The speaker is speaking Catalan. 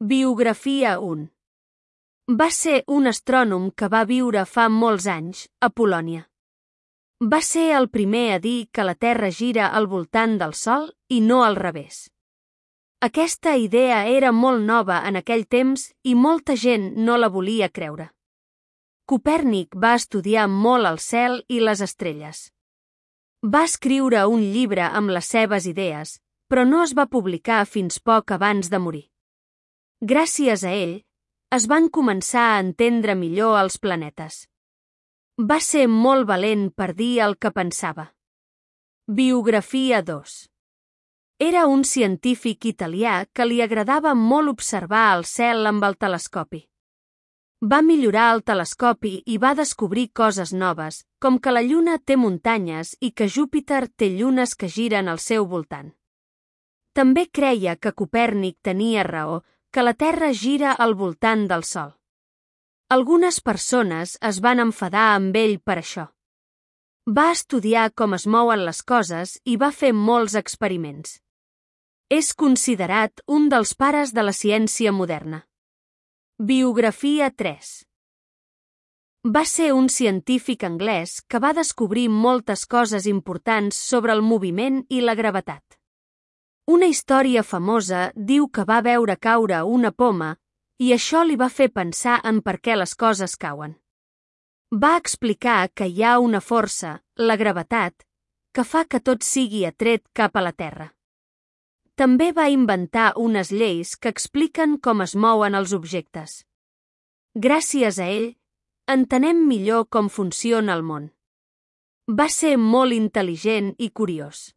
Biografia 1. Va ser un astrònom que va viure fa molts anys, a Polònia. Va ser el primer a dir que la Terra gira al voltant del Sol i no al revés. Aquesta idea era molt nova en aquell temps i molta gent no la volia creure. Copèrnic va estudiar molt el cel i les estrelles. Va escriure un llibre amb les seves idees, però no es va publicar fins poc abans de morir. Gràcies a ell, es van començar a entendre millor els planetes. Va ser molt valent per dir el que pensava. Biografia 2. Era un científic italià que li agradava molt observar el cel amb el telescopi. Va millorar el telescopi i va descobrir coses noves, com que la Lluna té muntanyes i que Júpiter té llunes que giren al seu voltant. També creia que Copèrnic tenia raó, que la Terra gira al voltant del Sol. Algunes persones es van enfadar amb ell per això. Va estudiar com es mouen les coses i va fer molts experiments. És considerat un dels pares de la ciència moderna. Biografia 3. Va ser un científic anglès que va descobrir moltes coses importants sobre el moviment i la gravetat. Una història famosa diu que va veure caure una poma i això li va fer pensar en per què les coses cauen. Va explicar que hi ha una força, la gravetat, que fa que tot sigui atret cap a la Terra. També va inventar unes lleis que expliquen com es mouen els objectes. Gràcies a ell, entenem millor com funciona el món. Va ser molt intel·ligent i curiós.